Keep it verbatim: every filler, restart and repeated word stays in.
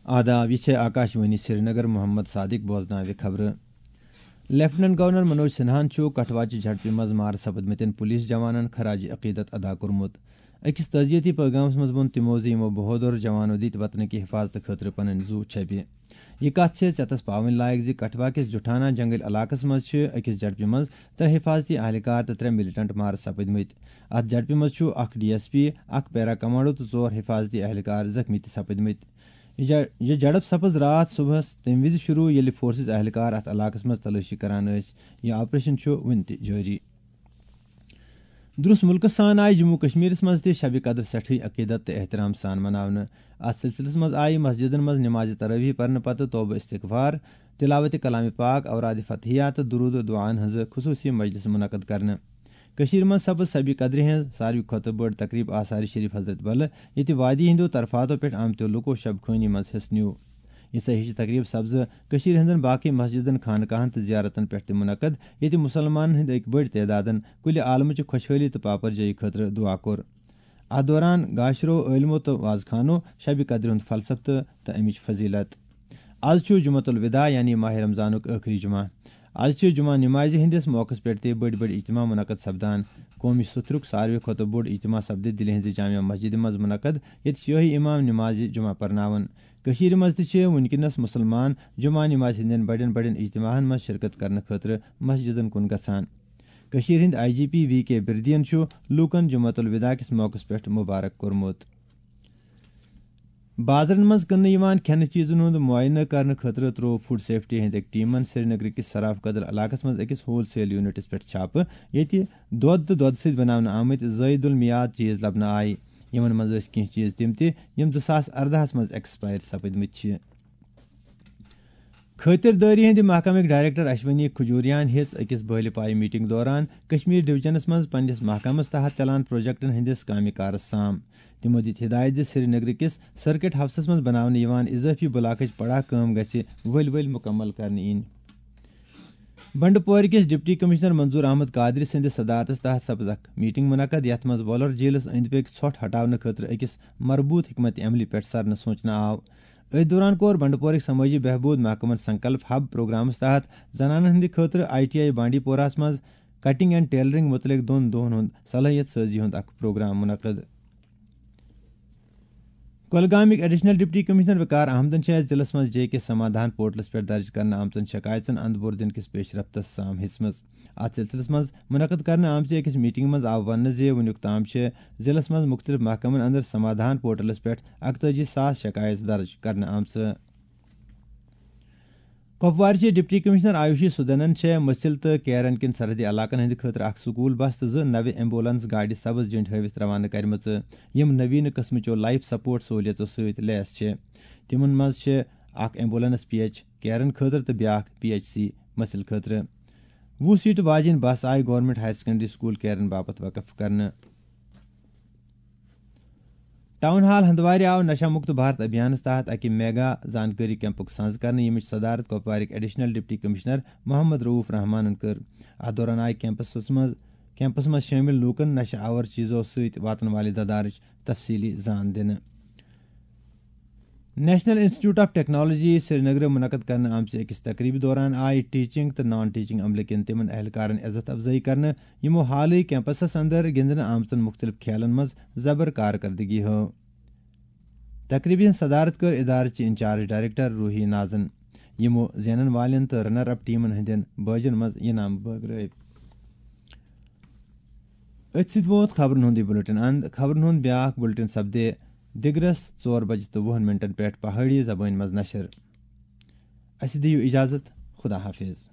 آداب، یہِ چھےٚ آکاشوانی سرینگر، محمد صادق بوزناوِ خبرٕ۔ لیفٹیننٹ گورنر منوج سنہاہن چھُ کٹھواچہِ جھڑپہِ منٛز مارٕ سپٕدمٕتٮ۪ن پولیس جوانن خراج عقیدت ادا کوٚرمُت۔ أکِس تعزیتی پیغامس منٛز ووٚن تِمو زِ یِمو بہادر جوانو دِتۍ وطنٕکہِ حفاظتہٕ خٲطرٕ پنٕنۍ زُو چھپہِ۔ یہِ کتھ چھےٚ ژٮ۪تس پاوٕنۍ لایق زِ کٹھوا کِس جُٹھانا جنگل علاقس منٛز چھِ أکِس جھڑپہِ منٛز ترٛےٚ حفاظتی اہلکار تہٕ ترٛےٚ ملیٹنٹ مارٕ سپٕدمٕتۍ۔ اتھ جھڑپہِ منٛز چھُ اکھ ڈی ایس پی، اکھ پیرا کمانڈو تہٕ ژور حفاظتی اہلکار زخمی تہِ سپٕدمٕتۍ۔ یہِ جھڑ-، یہِ جھڑپ سپٕز راتھ صبحس تَمہِ وِزِ شروع، ییٚلہِ فورسز اہلکار اتھ علاقس منٛز تلٲشی کران ٲسۍ۔ یہِ آپریشن چھُ وُنہِ تہِ جٲری۔ درُس مُلکس سان آیہِ جموں کشمیرس منٛز تہِ شبِ قدر سٮ۪ٹھٕے عقیدت تہٕ احترام سان مناونہٕ۔ اتھ سلسلس منٛز آیہِ مسجدن منٛز نماز تراویح پرنہٕ پتہٕ توبہ استغفار، تلاوت کلام پاک، اوراد فتحیہ تہٕ درود و دعاہن ہٕنٛز خصوصی مجلس منعقد کرنہٕ۔ کٔشیٖرِ منٛز سپٕز شبِ قدرِ ہٕنٛز ساروی کھۄتہٕ بٔڑ تقریب آثار شریف حضرت بل، ییٚتہِ وادی ہٕنٛدیو طرفاتو پٮ۪ٹھ آمتیو لوٗکو شب خوٲنی منٛز حصہٕ نیوٗ۔ یِژھے ہِش تقریب سپزٕ کٔشیٖرِ ہٕنٛزن باقٕے مسجدن، خانقاہن تہٕ زیارتن پٮ۪ٹھ تہِ منعقد، ییٚتہِ مُسلمانن ہٕنٛدۍ أکۍ بٔڑۍ تعدادن کُلہِ عالمہٕ چہِ خۄشحٲلی تہٕ پاپرجٲیی خٲطرٕ دُعا کوٚر۔ اتھ دوران گاشرو عٲلمو تہٕ وازخانو شبِ قدرِ ہُنٛد فلسفہٕ تہٕ، تہٕ امِچ فضیلت۔ از چھُ جمعۃ الوداع، یعنی ماہِ رمضانُک ٲخری جمعہ۔ از چھِ جمعہ نمازِ ہٕنٛدِس موقعس پٮ۪ٹھ تہِ بٔڑۍ بٔڑۍ اجتماع منعقد سپدان۔ قومی سُتھرُک ساروی کھۄتہٕ بوٚڑ اجتماع سپدِ دِلہِ ہٕنٛزِ جامع مسجدِ منٛز منعقد، ییٚتہِ شٲہی امام نمازِ جمعہ پرناون۔ کٔشیٖرِ منٛز تہِ چھِ وٕنکیٚنس مُسلمان جمعہ نمازِ ہٕنٛدٮ۪ن بڑٮ۪ن بڑٮ۪ن اجتماعن منٛز شرکت کرنہٕ خٲطرٕ مسجدن کُن گژھان۔ کٔشیٖرِ ہٕنٛدۍ آئی جی پی وی کے بِردیَن چھُ لوٗکَن جمعۃ الوداع کِس موقعس پٮ۪ٹھ مُبارک کوٚرمُت۔ بازرَن منٛز کٕننہٕ یِوان کھٮ۪نہٕ چیٖزَن ہُنٛد معائنہٕ کرنہٕ خٲطرٕ ترٛوو فوڈ سیفٹی ہٕنٛدۍ أکۍ ٹیمَن سرینگرٕ کِس سراف کدل علاقَس منٛز أکِس ہول سیل یونٹَس پٮ۪ٹھ چھاپہٕ، ییٚتہِ دۄد تہٕ دۄدٕ سۭتۍ بناونہٕ آمٕتۍ زٲیِد المیعاد چیٖز لبنہٕ آیہِ۔ یِمَن منٛز ٲسۍ کینٛہہ چیٖز تِم تہِ، یِم زٕ ساس اَردَہَس منٛز ایکسپائر سپٕدمٕتۍ چھِ۔ خٲطردٲری ہٕنٛدِ محکمٕکۍ ڈائریکٹر اشونی کھجوریان ہیٚژ أکِس بٲلہِ پایہِ میٹنگ دوران کشمیر ڈویژنس منٛز پننِس محکمس تحت چلان پروجیکٹن ہٕنٛدِس کامہِ کارس سام۔ تِمو دِتۍ ہدایت زِ سرینگرٕ کِس سرکٹ ہاؤسس منٛز بناونہٕ یِوان اضافی بلاکٕچ پڑاہ کٲم گژھِ ؤلۍ ؤلۍ مکمل کرنہٕ یِنۍ۔ بنڈپورِ کِس ڈپٹی کمشنر منظور احمد قادری سٕنٛدِس صدارتس تحت سپٕز اکھ میٹنگ منعقد، یتھ منٛز وۄلر جیلس أنٛدۍ پٔکۍ ژھۄٹھ ہٹاونہٕ خٲطرٕ أکِس مربوط حکمت عملی پٮ۪ٹھ سرنہٕ سونچنہٕ آو۔ أتھۍ دوران کوٚر بنڈپورٕکۍ سمٲجی بہبود محکمن سنکلپ ہب پروگرامس تحت زنانن ہٕنٛدِ خٲطرٕ آئی ٹی آئی بانڈی پوراہس منٛز کٹنگ اینڈ ٹیلرنگ متعلق دۄن دۄہن ہُنٛد صلٲحیت سٲزی ہُنٛد اکھ پروگرام منعقد۔ کۄلگامٕکۍ ایڈیشنل ڈپٹی کمشنر وقار احمدن چھِ اَتھ ضلعس منٛز جے کے سمادھان پورٹلس پٮ۪ٹھ درج کرنہٕ آمژن شکایژن اند بور دِنہٕ کِس پیش رفتس سام ہیٚژمٕژ۔ اتھ سلسلس منٛز منعقد کرنہٕ آمژِ أکِس میٹنگ منٛز آو وننہٕ زِ وُنیُک تام چھِ ضلعس منٛز مُختٔلِف محکمن اندر سمادھان پورٹلس پٮ۪ٹھ اکتٲجی ساس شکایژ درج کرنہٕ آمژٕ۔ کپوارچہِ ڈپٹی کمشنر آیوشی سدنن چھےٚ مٔسِل تہٕ کیرن کٮ۪ن سرحدی علاقن ہٕنٛدِ خٲطرٕ اکھ سکول بس تہٕ زٕ نوِ ایمبولینس گاڑِ سبز جنڈ ہٲوِتھ روانہٕ کرِمژٕ، یِم نویٖنہٕ قٕسمٕچو لائف سپورٹ سہولیژو سۭتۍ لیس چھِ۔ تِمن منٛز چھِ اکھ ایمبولینس پی ایچ کیرن خٲطرٕ تہٕ بیٛاکھ پی ایچ سی مٔسِل خٲطرٕ۔ وُہ سیٹہٕ واجیٚنۍ بس آیہِ government higher secondary school Keran باپتھ وقف کرنہٕ۔ ٹاؤن ہال ہندوارِ آو نشہ مکت بھارت ابھیانس تحت اکہِ میگا زانکٲری کیمپُک سنز کرنہٕ، ییٚمِچ صدارت کپوارٕکۍ ایڈیشنل ڈپٹی کمشنر محمد رؤف رحمانن کٔر۔ اتھ دوران آیہِ کیمپسس منٛز، کیمپس منٛز شٲمِل لوٗکن نشہ آور چیزو سۭتۍ واتن والہِ ددارٕچ تفصیلی زان دِنہٕ۔ نیشنل انسٹیٹیوٹ آف ٹیکنالوجی سرینگرٕ منعقد کرنہٕ آمژِ أکِس تقریبہِ دوران آیہِ ٹیچنگ تہٕ نان ٹیچنگ عملہٕ کٮ۪ن تِمن اہلکارن عزت افزٲیی کرنہٕ، یِمو حالٕے کیمپسس اندر گِنٛدنہٕ آمژن مُختٔلِف کھیلن منٛز زبر کارکردگی ہٲو۔ تقریبہِ ہٕنٛز صدارت کٔر ادارٕچہِ انچارج ڈائریکٹر روحی نازن، یِمو زینن والٮ۪ن تہٕ رنر اپ ٹیمن ہٕنٛدٮ۪ن بٲجن منٛز انعام بٲگرٲوۍ۔ أتھۍ سۭتۍ ووت خبرن ہُنٛد یہِ بُلٹن اند۔ خبرن ہُنٛد بیٛاکھ بُلٹن سپدِ دِگرس ژور بجہِ تہٕ وُہن منٹن پٮ۪ٹھ پہٲڑی زبٲنۍ منٛز نشر۔ اسہِ دِیِو اجازت، خدا حافظ۔